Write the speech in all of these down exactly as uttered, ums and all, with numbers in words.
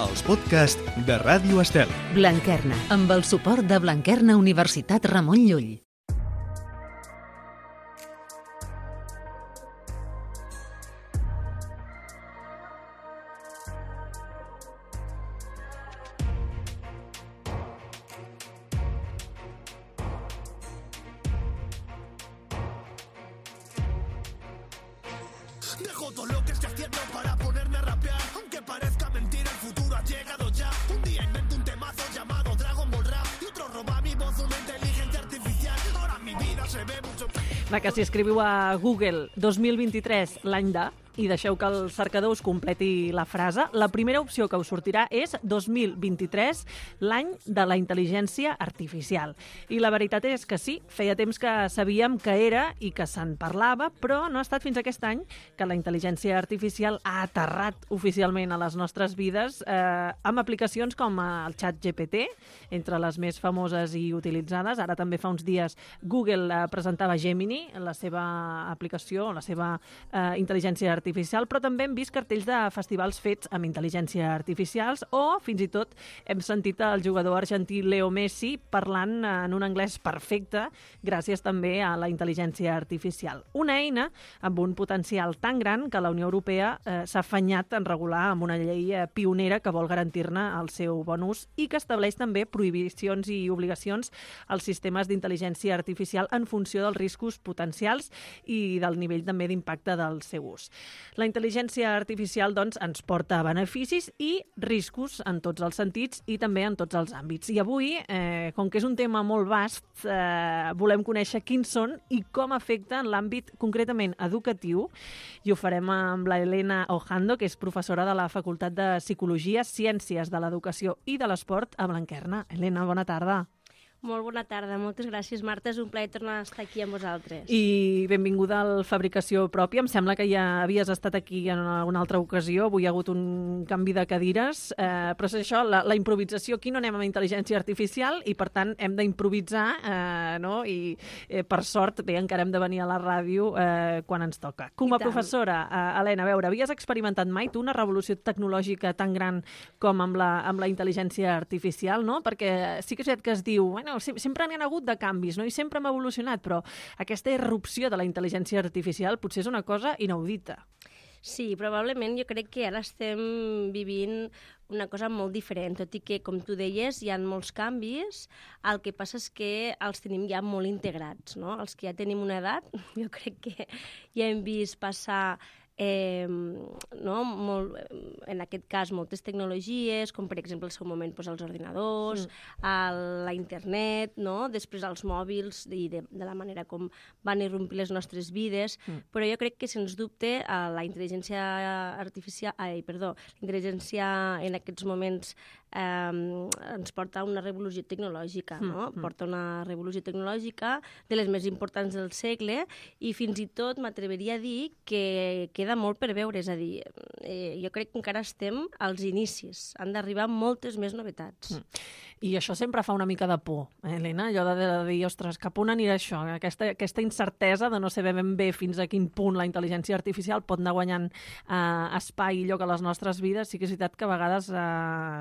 els podcasts de Ràdio Estel. Blanquerna, amb el suport de Blanquerna Universitat Ramon Llull. Dejo todo lo que estoy haciendo para ponerme a rapear. Aunque parezca mentira, el futuro ha llegado ya. Un día invento un temazo llamado Dragon Ball Rap y otro roba mi voz una inteligencia artificial. Ahora mi vida se ve mucho... Va, que si escriviu a Google dos mil vint-i-tres, l'any de, i deixeu que el cercador us completi la frase, la primera opció que us sortirà és dos mil vint-i-tres, l'any de la intel·ligència artificial. I la veritat és que sí, feia temps que sabíem que era i que se'n parlava, però no ha estat fins aquest any que la intel·ligència artificial ha aterrat oficialment a les nostres vides eh, amb aplicacions com el xat G P T, entre les més famoses i utilitzades. Ara també fa uns dies Google eh, presentava Gemini, la seva aplicació, la seva eh, intel·ligència artificial, artificial, però també hem vist cartells de festivals fets amb intel·ligència artificials o, fins i tot, hem sentit el jugador argentí Leo Messi parlant en un anglès perfecte gràcies també a la intel·ligència artificial. Una eina amb un potencial tan gran que la Unió Europea eh, s'ha afanyat en regular amb una llei eh, pionera que vol garantir-ne el seu bon ús i que estableix també prohibicions i obligacions als sistemes d'intel·ligència artificial en funció dels riscos potencials i del nivell també d'impacte del seu ús. La intel·ligència artificial, doncs, ens porta beneficis i riscos en tots els sentits i també en tots els àmbits. I avui, eh, com que és un tema molt vast, eh, volem conèixer quins són i com afecta en l'àmbit concretament educatiu, i ho farem amb la Elena Ojando, que és professora de la Facultat de Psicologia, Ciències de l'Educació i de l'Esport a Blanquerna. Elena, bona tarda. Molt bona tarda, moltes gràcies, Marta. És un plaer tornar a estar aquí amb vosaltres. I benvinguda al Fabricació Pròpia. Em sembla que ja havies estat aquí en alguna altra ocasió. Avui hi ha hagut un canvi de cadires. Eh, però és això, la, la improvisació. Aquí no anem amb intel·ligència artificial i, per tant, hem d'improvisar, eh, no? I, eh, per sort, bé, encara hem de venir a la ràdio eh, quan ens toca. Com a professora, eh, Helena, a veure, havies experimentat mai tu una revolució tecnològica tan gran com amb la, amb la intel·ligència artificial, no? Perquè sí que és veritat que es diu... Bueno, sempre n'hi ha hagut de canvis, no? I sempre hem evolucionat, però aquesta irrupció de la intel·ligència artificial potser és una cosa inaudita. Sí, probablement jo crec que ara estem vivint una cosa molt diferent, tot i que, com tu deies, hi ha molts canvis. El que passa és que els tenim ja molt integrats, no? Els que ja tenim una edat, jo crec que ja hem vist passar... Eh, no? Molt, en aquest cas moltes tecnologies, com per exemple al seu moment doncs, els ordinadors, mm. el, la internet, no? Després els mòbils i de, de la manera com van irrompir les nostres vides, mm. però jo crec que sens dubte la intel·ligència artificial, ai, perdó, la intel·ligència en aquests moments eh, ens porta a una revolució tecnològica, mm. no? Porta una revolució tecnològica de les més importants del segle i fins i tot m'atreveria a dir que, que queda molt per veure, és a dir, eh, jo crec que encara estem als inicis, han d'arribar moltes més novetats. Mm. I això sempre fa una mica de por, eh, Helena, allò de, de dir, ostres, cap on anirà això? Aquesta, aquesta incertesa de no saber ben bé fins a quin punt la intel·ligència artificial pot anar guanyant eh, espai i lloc a les nostres vides, sí que és veritat que a vegades eh,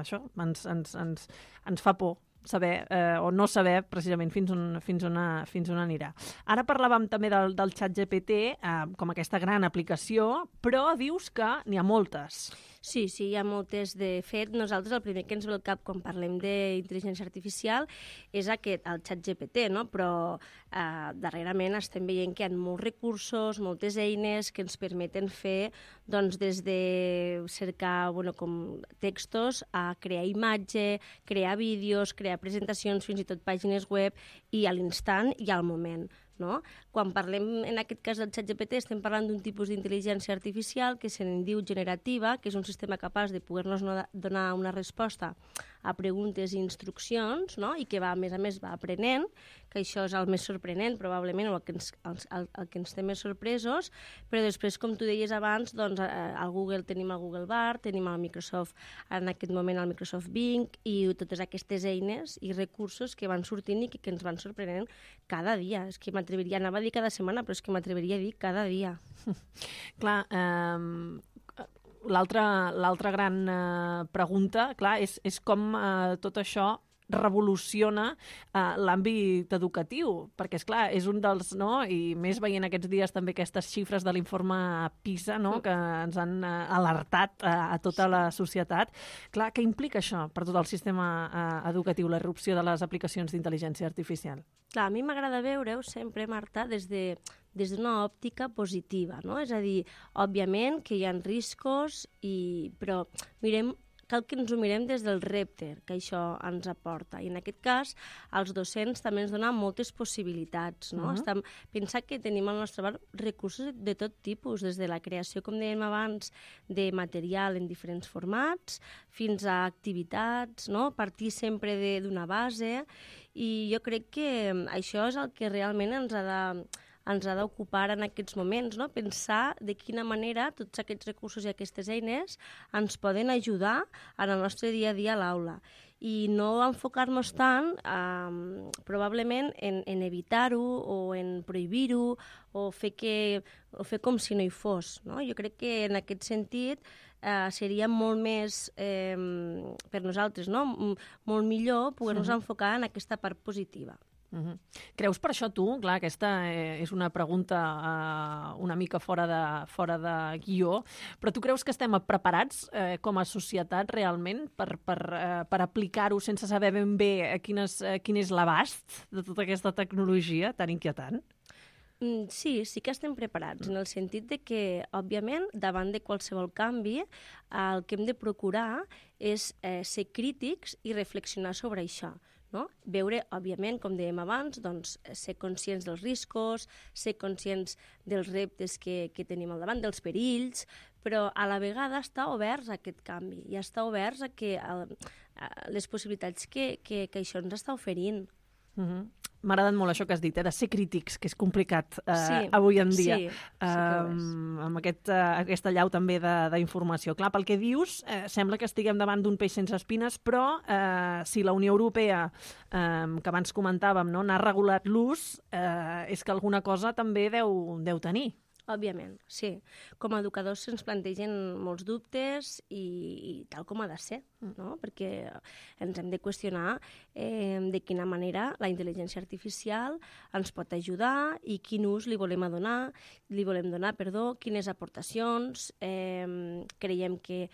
això ens, ens, ens, ens fa por saber eh, o no saber precisament fins on, fins on, fins on anirà. Ara parlàvem també del, del xat G P T eh, com aquesta gran aplicació, però dius que n'hi ha moltes. Sí, sí, hi ha moltes. De fet, nosaltres el primer que ens ve al cap quan parlem d'intel·ligència artificial és aquest, el xat G P T, no? Però eh, darrerament estem veient que hi ha molts recursos, moltes eines que ens permeten fer doncs, des de cercar bueno, com textos a crear imatge, crear vídeos, crear presentacions, fins i tot pàgines web, i a l'instant i al moment. No? Quan parlem, en aquest cas del xat G P T, estem parlant d'un tipus d'intel·ligència artificial que se'n diu generativa, que és un sistema capaç de poder-nos donar una resposta a preguntes i instruccions, no? I que va, a més a més va aprenent, que això és el més sorprenent, probablement, el que ens, el, el, el que ens té més sorpresos, però després, com tu deies abans, doncs, al Google tenim el Google Bard, tenim el Microsoft, en aquest moment el Microsoft Bing, i totes aquestes eines i recursos que van sortint i que, que ens van sorprenent cada dia. És que m'atreviria, anava a dir cada setmana, però és que m'atreviria a dir cada dia. Clar, eh... l'altra l'altra gran eh, pregunta, clar, és, és com eh, tot això revoluciona eh, l'àmbit educatiu, perquè, és clar, és un dels, no?, i més veient aquests dies també aquestes xifres de l'informe PISA, no?, que ens han eh, alertat eh, a tota la societat. Clar, què implica això per tot el sistema eh, educatiu, la irrupció de les aplicacions d'intel·ligència artificial? Clar, a mi m'agrada veure-ho sempre, Marta, des de des d'una òptica positiva, no? És a dir, òbviament que hi ha riscos, i... però mirem cal que ens ho mirem des del repte que això ens aporta. I en aquest cas, els docents també ens donen moltes possibilitats, no? Uh-huh. Estem, pensar que tenim al nostre abast recursos de tot tipus, des de la creació, com dèiem abans, de material en diferents formats, fins a activitats, no? Partir sempre d'una base, i jo crec que això és el que realment ens ha de ens ha d'ocupar en aquests moments, no? Pensar de quina manera tots aquests recursos i aquestes eines ens poden ajudar en el nostre dia a dia a l'aula. I no enfocar-nos tant, eh, probablement, en, en evitar-ho o en prohibir-ho o fer, que, o fer com si no hi fos, no? Jo crec que en aquest sentit eh, seria molt més, eh, per nosaltres, no? Molt millor poder-nos uh-huh. enfocar en aquesta part positiva. Uh-huh. Creus per això tu, clar, aquesta eh, és una pregunta eh, una mica fora de, fora de guió, però tu creus que estem preparats eh, com a societat realment per, per, eh, per aplicar-ho sense saber ben bé eh, quin, és, eh, quin és l'abast de tota aquesta tecnologia tan inquietant? Mm, sí, sí que estem preparats, en el sentit de que, òbviament, davant de qualsevol canvi, el que hem de procurar és eh, ser crítics i reflexionar sobre això. No? Veure, òbviament, com dèiem abans, doncs, ser conscients dels riscos, ser conscients dels reptes que, que tenim al davant, dels perills, però a la vegada estar oberts a aquest canvi i estar oberts a, que, a, a les possibilitats que, que, que això ens està oferint. Uh-huh. M'ha agradat molt això que has dit, eh, de ser crítics, que és complicat eh, sí, avui en dia, sí, sí um, amb aquest, uh, aquesta llau també d'informació. Clar, pel que dius, eh, sembla que estiguem davant d'un peix sense espines, però eh, si la Unió Europea, eh, que abans comentàvem, no, n'ha regulat l'ús, eh, és que alguna cosa també deu, deu tenir. Òbviament, sí. Com a educadors se'ns plantegen molts dubtes i, i tal com ha de ser, no? Perquè ens hem de qüestionar eh, de quina manera la intel·ligència artificial ens pot ajudar i quin ús li volem donar, li volem donar, perdó, quines aportacions eh, creiem que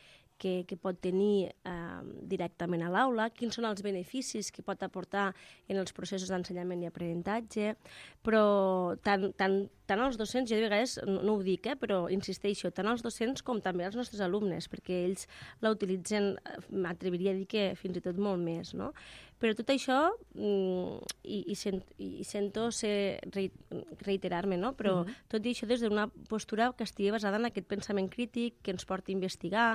Que, que pot tenir eh, directament a l'aula, quins són els beneficis que pot aportar en els processos d'ensenyament i aprenentatge, però tant, tant, tant els docents, jo de vegades no, no ho dic, eh, però insisteixo, tant els docents com també els nostres alumnes, perquè ells la utilitzen, m'atreviria a dir que fins i tot molt més, no? Però tot això, i, i, sent, i sento ser, reiterar-me, no? Però uh-huh. tot i això des d'una postura que estigui basada en aquest pensament crític, que ens porti a investigar,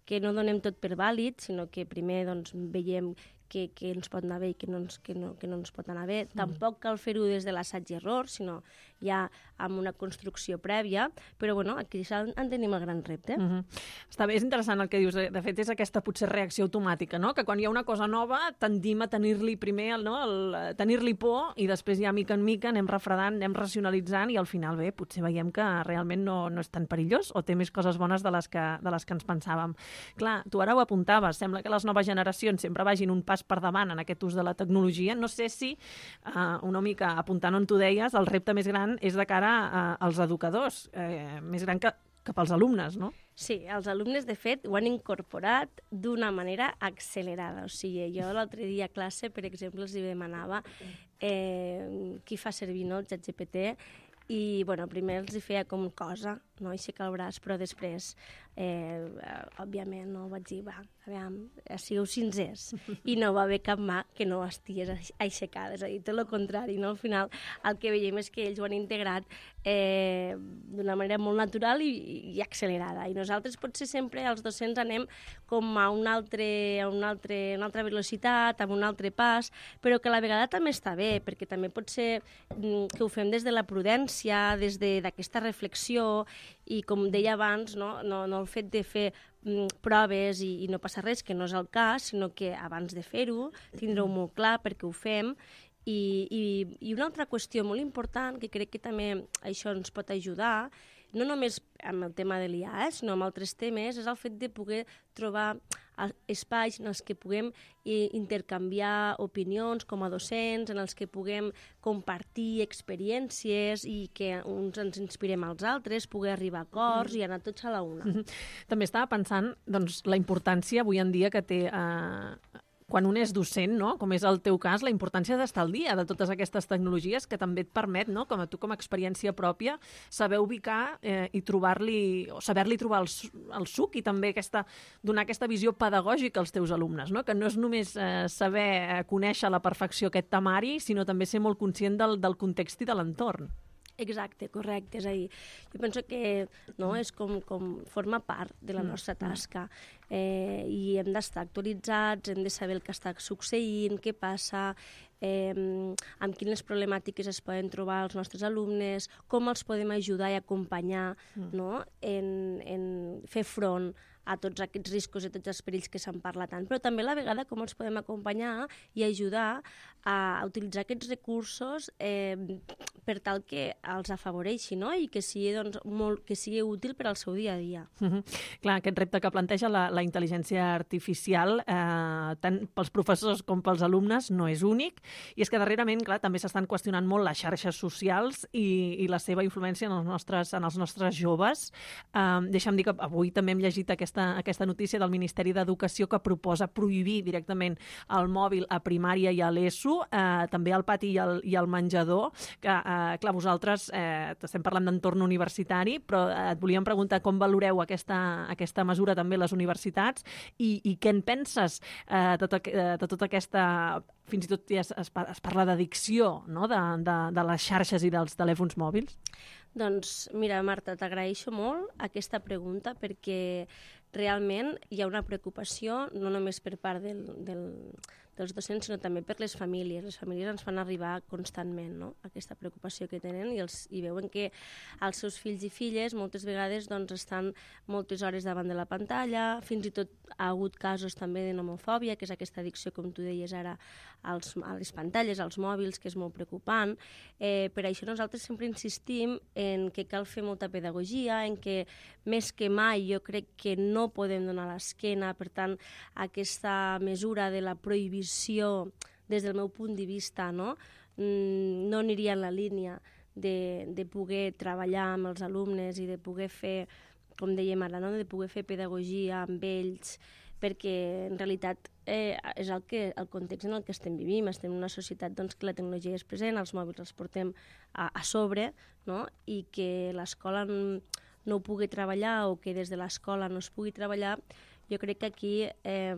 que no donem tot per vàlid, sinó que primer doncs, veiem que, que ens pot anar bé i que no ens, que no, que no ens pot anar bé. Mm. Tampoc cal fer-ho des de l'assaig i error, sinó ja amb una construcció prèvia, però bueno, aquí en tenim el gran repte. Mm -hmm. Està bé, és interessant el que dius. De fet, és aquesta potser reacció automàtica, no? Que quan hi ha una cosa nova tendim a tenir-li primer, no? el, tenir-li por i després ja mica en mica anem refredant, anem racionalitzant i al final bé, potser veiem que realment no, no és tan perillós o té més coses bones de les que, de les que ens pensàvem. Clar, tu ara ho apuntaves, sembla que les noves generacions sempre vagin un pas per davant en aquest ús de la tecnologia. No sé si, uh, una mica apuntant on tu deies, el repte més gran és de cara uh, als educadors, eh, més gran que cap als alumnes, no? Sí, els alumnes, de fet, ho han incorporat d'una manera accelerada. O sigui, jo l'altre dia a classe, per exemple, els demanava eh, qui fa servir, no, el ChatGPT, i, bueno, primer els hi feia com cosa, no, aixecar el braç, però després, eh, òbviament, no, vaig dir, va, aviam, sigueu sincers. I no va haver cap mà que no estigués aixecada, és a dir, tot el contrari, no? Al final, el que veiem és que ells ho han integrat eh, d'una manera molt natural i, i accelerada. I nosaltres, potser, sempre, els docents, anem com a un altre, a un altre, una altra velocitat, amb un altre pas, però que a la vegada també està bé, perquè també pot ser que ho fem des de la prudència, des d'aquesta reflexió, i com deia abans, no, no, no el fet de fer mm, proves i, i no passa res, que no és el cas, sinó que abans de fer-ho, tindre-ho molt clar perquè ho fem. I, i, I una altra qüestió molt important, que crec que també això ens pot ajudar, no només amb el tema de l'I A, eh, sinó amb altres temes, és el fet de poder trobar espais en els que puguem intercanviar opinions com a docents, en els que puguem compartir experiències i que uns ens inspirem als altres, poder arribar a acords mm. i anar tots a la una. Mm-hmm. També estava pensant doncs, la importància avui en dia que té... Eh, quan un és docent, no? Com és el teu cas, la importància d'estar al dia de totes aquestes tecnologies que també et permet, no? Com a tu, com a experiència pròpia, saber ubicar eh, i trobar-li, o saber-li trobar el, el suc i també aquesta, donar aquesta visió pedagògica als teus alumnes, no? Que no és només eh, saber eh, conèixer a la perfecció aquest temari, sinó també ser molt conscient del, del context i de l'entorn. Exacte, correcte. És a dir, jo penso que no, és com, com forma part de la nostra tasca eh, i hem d'estar actualitzats, hem de saber el que està succeint, què passa, eh, amb quines problemàtiques es poden trobar els nostres alumnes, com els podem ajudar i acompanyar no, en, en fer front a tots aquests riscos i tots els perills que se'n parla tant, però també a la vegada com els podem acompanyar i ajudar a utilitzar aquests recursos eh, per tal que els afavoreixi, no? I que sigui, doncs, molt, que sigui útil per al seu dia a dia. Mm-hmm. Clar, aquest repte que planteja la, la intel·ligència artificial, eh, tant pels professors com pels alumnes, no és únic, i és que darrerament, clar, també s'estan qüestionant molt les xarxes socials i, i la seva influència en els nostres, en els nostres joves. Eh, deixa'm dir que avui també hem llegit aquesta Aquesta, aquesta notícia del Ministeri d'Educació que proposa prohibir directament el mòbil a primària i a l'ESO, eh, també al pati i al, i al menjador, que, eh, clar, vosaltres eh, estem parlant d'entorn universitari, però eh, et volíem preguntar com valoreu aquesta, aquesta mesura també les universitats i, i què en penses eh, de, de tota aquesta... Fins i tot ja es, es parla d'addicció, no?, de, de, de les xarxes i dels telèfons mòbils? Doncs mira, Marta, t'agraeixo molt aquesta pregunta perquè realment hi ha una preocupació no només per part del, del, dels docents, sinó també per les famílies. Les famílies ens fan arribar constantment, no?, aquesta preocupació que tenen i, els, i veuen que els seus fills i filles moltes vegades doncs, estan moltes hores davant de la pantalla, fins i tot ha hagut casos també de nomofòbia, que és aquesta addicció, com tu deies ara, als, a les pantalles, als mòbils, que és molt preocupant. Eh, per això nosaltres sempre insistim en que cal fer molta pedagogia, en que més que mai jo crec que no podem donar l'esquena, per tant, aquesta mesura de la prohibició, des del meu punt de vista, no, no aniria en la línia de, de poder treballar amb els alumnes i de poder fer, com dèiem ara, no? de poder fer pedagogia amb ells, perquè en realitat eh, és el, que, el context en el que estem vivint. Estem en una societat doncs, que la tecnologia és present, els mòbils els portem a, a sobre, no? I que l'escola no ho pugui treballar o que des de l'escola no es pugui treballar, jo crec que aquí eh,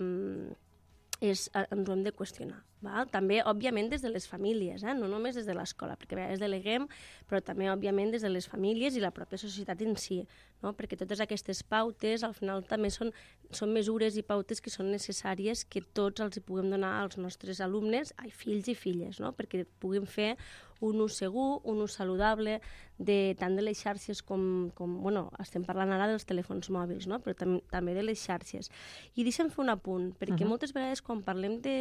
és, ens ho hem de qüestionar. Val? També, òbviament, des de les famílies, eh? No només des de l'escola, perquè a vegades deleguem, però també, òbviament, des de les famílies i la pròpia societat en si, no? Perquè totes aquestes pautes, al final, també són, són mesures i pautes que són necessàries que tots els hi puguem donar als nostres alumnes, ai, fills i filles, no? Perquè puguem fer un ús segur, un ús saludable, de, tant de les xarxes com, com, bueno, estem parlant ara dels telèfons mòbils, no? Però tam també de les xarxes. I deixa'm fer un apunt, perquè uh-huh. moltes vegades quan parlem de,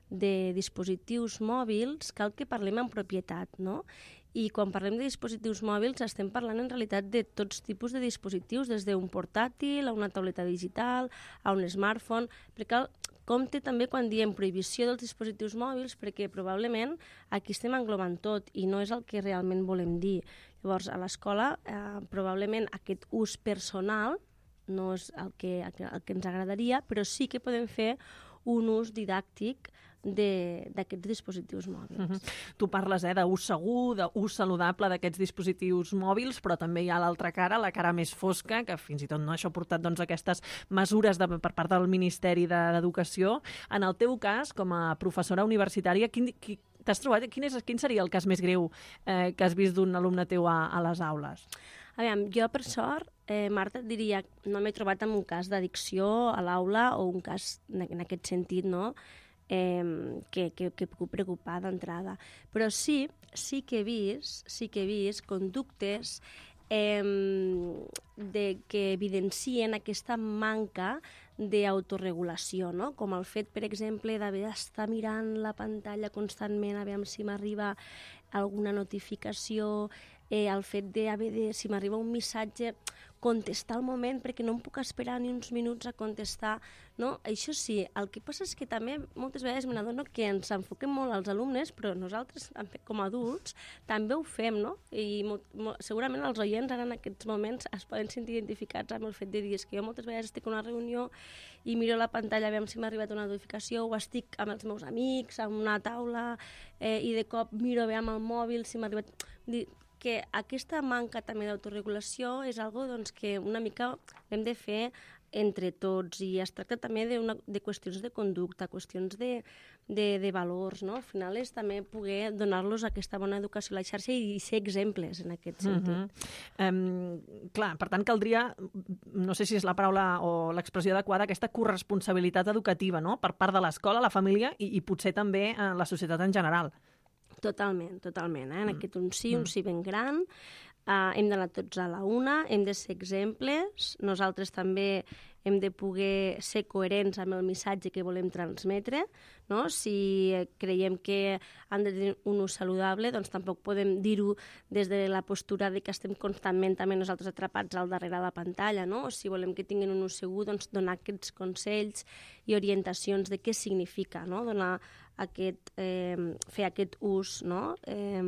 de dispositius mòbils cal que parlem en propietat, no? I quan parlem de dispositius mòbils estem parlant en realitat de tots tipus de dispositius, des d'un portàtil a una tauleta digital, a un smartphone, perquè cal compte també quan diem prohibició dels dispositius mòbils, perquè probablement aquí estem englobant tot i no és el que realment volem dir. Llavors, a l'escola, eh, probablement aquest ús personal no és el que, el que, el que ens agradaria, però sí que podem fer un ús didàctic d'aquests dispositius mòbils. Uh-huh. Tu parles eh, d'ús segur, d'ús saludable d'aquests dispositius mòbils, però també hi ha l'altra cara, la cara més fosca, que fins i tot no això ha portat doncs, aquestes mesures de, per part del Ministeri d'Educació. En el teu cas, com a professora universitària, quin, qui, t'has trobat, quin, és, quin seria el cas més greu eh, que has vist d'un alumne teu a, a les aules? Aviam, jo, per sort, eh, Marta, et diria, no m'he trobat en un cas d'addicció a l'aula o un cas en aquest sentit, no?, Eh, que, que, que puc preocupar d'entrada. Però sí, sí que he vist, sí que he vist conductes eh, de, que evidencien aquesta manca d'autoregulació, no? Com el fet, per exemple, d'haver d'estar mirant la pantalla constantment a veure si m'arriba alguna notificació, eh, el fet d'haver de, si m'arriba un missatge, contestar al moment, perquè no em puc esperar ni uns minuts a contestar, no? Això sí, el que passa és que també moltes vegades me n'adono que ens enfoquem molt als alumnes, però nosaltres, com a adults, també ho fem, no? I mo, mo, segurament els oients ara en aquests moments es poden sentir identificats amb el fet de dir que jo moltes vegades estic en una reunió i miro la pantalla a veure si m'ha arribat una notificació, o estic amb els meus amics, en una taula, eh, i de cop miro a veure amb el mòbil si m'ha arribat... Dir, que aquesta manca també d'autoregulació és algo doncs, que una mica l'hem de fer entre tots, i es tracta també de, una, de qüestions de conducta, qüestions de, de, de valors, no? Al final és també poder donar-los aquesta bona educació a la xarxa i ser exemples en aquest sentit. Mm-hmm. um, clar, per tant, caldria, no sé si és la paraula o l'expressió adequada, aquesta corresponsabilitat educativa, no?, per part de l'escola, la família i, i potser també eh, la societat en general. Totalment, totalment. Eh? En mm. aquest un sí, un sí ben gran. Uh, hem d'anar tots a la una, hem de ser exemples. Nosaltres també hem de poder ser coherents amb el missatge que volem transmetre, no? Si creiem que han de tenir un ús saludable, doncs tampoc podem dir-ho des de la postura de que estem constantment també nosaltres atrapats al darrere de la pantalla, no? O si volem que tinguin un ús segur, doncs donar aquests consells i orientacions de què significa, no? Donar aquest, eh, fer aquest ús, no? eh,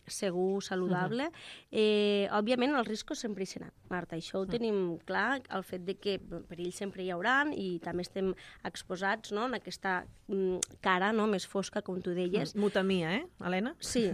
segur, saludable. Uh-huh. eh, òbviament els riscos sempre hi seran, Marta, això ho uh-huh. tenim clar, el fet de que perills sempre hi hauran i també estem exposats, no?, en aquesta mm, cara, no?, més fosca, com tu deies. Mutamia, eh, Helena? Sí,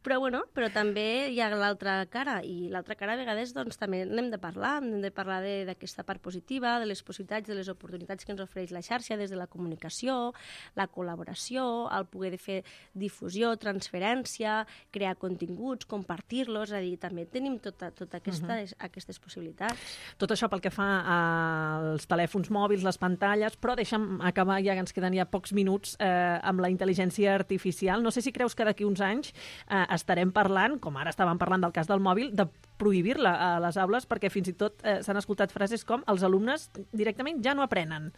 però bueno, però també hi ha l'altra cara, i l'altra cara a vegades doncs, també n'hem de parlar, hem de parlar d'aquesta part positiva, de les possibilitats, de les oportunitats que ens ofereix la xarxa des de la comunicació, la col·laboració, el poder de fer difusió, transferència, crear continguts, compartir-los, és a dir, també tenim tota, tota aquesta, uh-huh. aquestes possibilitats. Tot això pel que fa als telèfons mòbils, les pantalles, però deixa'm acabar, ja que ens queden ja pocs minuts, eh, amb la intel·ligència artificial. No sé si creus que d'aquí uns anys eh, estarem parlant, com ara estàvem parlant del cas del mòbil, de prohibir-la a les aules, perquè fins i tot eh, s'han escoltat frases com els alumnes directament ja no aprenen.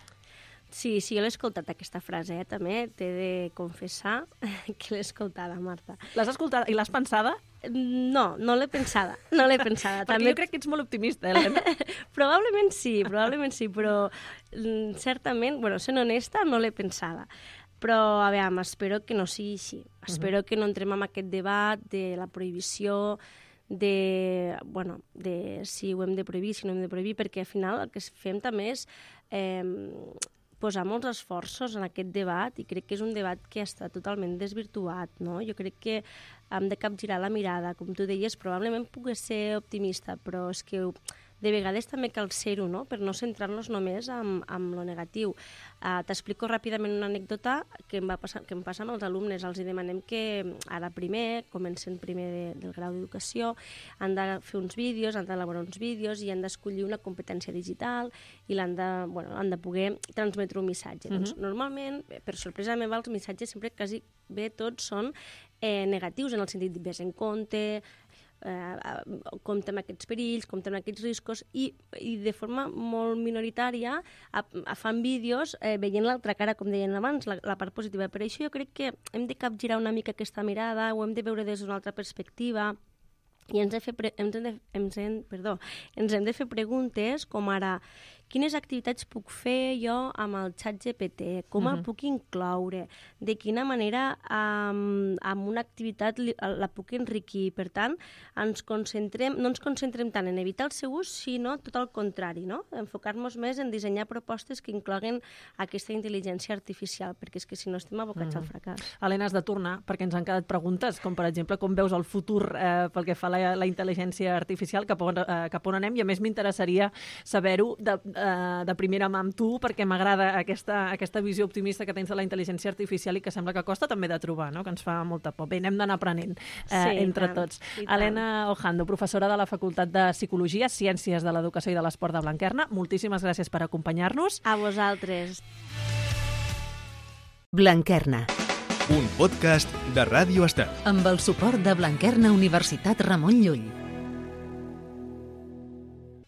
Sí, sí, jo l'he escoltat, aquesta frase, eh, també. T'he de confessar que l'he escoltada, Marta. L'has escoltada i l'has pensada? No, no l'he pensada, no l'he pensada. Perquè també... jo crec que ets molt optimista, Helena. Probablement sí, probablement sí, però certament, bueno, sent honesta, no l'he pensada. Però, a veure, espero que no sigui així. Espero uh-huh. que no entrem en aquest debat de la prohibició, de, bueno, de si ho hem de prohibir, si no hem de prohibir, perquè al final el que fem també és eh, posar molts esforços en aquest debat, i crec que és un debat que està totalment desvirtuat, no? Jo crec que hem de capgirar la mirada, com tu deies, probablement pugui ser optimista, però és que de vegades també cal ser-ho, no?, per no centrar-nos només en, en lo negatiu. Uh, T'explico ràpidament una anècdota que em, va passar, que em passa amb els alumnes. Els demanem que ara primer, comencen primer de, del grau d'educació, han de fer uns vídeos, han d'elaborar uns vídeos i han d'escollir una competència digital i l'han de, bueno, han de poder transmetre un missatge. Uh-huh. Doncs, normalment, per sorpresa meva, els missatges sempre quasi bé tots són eh, negatius, en el sentit de vés en compte, Eh, compte amb aquests perills, compte amb aquests riscos, i, i de forma molt minoritària a, a fan vídeos eh, veient l'altra cara, com deien abans, la, la part positiva. Per això jo crec que hem de capgirar una mica aquesta mirada, ho hem de veure des d'una altra perspectiva, i ens, de fer pre ens, hem de, ens, hem, perdó, ens hem de fer preguntes com ara: quines activitats puc fer jo amb el xat G P T? Com uh-huh. el puc incloure? De quina manera um, amb una activitat li, la puc enriquir? Per tant, ens concentrem, no ens concentrem tant en evitar el seu ús, sinó tot el contrari, no? Enfocar-nos més en dissenyar propostes que incloguen aquesta intel·ligència artificial, perquè és que si no estem abocats uh-huh. al fracàs. Helena, has de tornar, perquè ens han quedat preguntes, com per exemple, com veus el futur eh, pel que fa a la, la intel·ligència artificial, cap on, eh, cap on anem, i a més m'interessaria saber-ho de, de primera mà amb tu, perquè m'agrada aquesta, aquesta visió optimista que tens de la intel·ligència artificial i que sembla que costa també de trobar, no?, que ens fa molta por. Bé, hem d'anar aprenent eh, sí, entre tant, tots. Helena Ojando, professora de la Facultat de Psicologia, Ciències de l'Educació i de l'Esport de Blanquerna, moltíssimes gràcies per acompanyar-nos. A vosaltres. Blanquerna. Un podcast de Ràdio Estel. Amb el suport de Blanquerna Universitat Ramon Llull.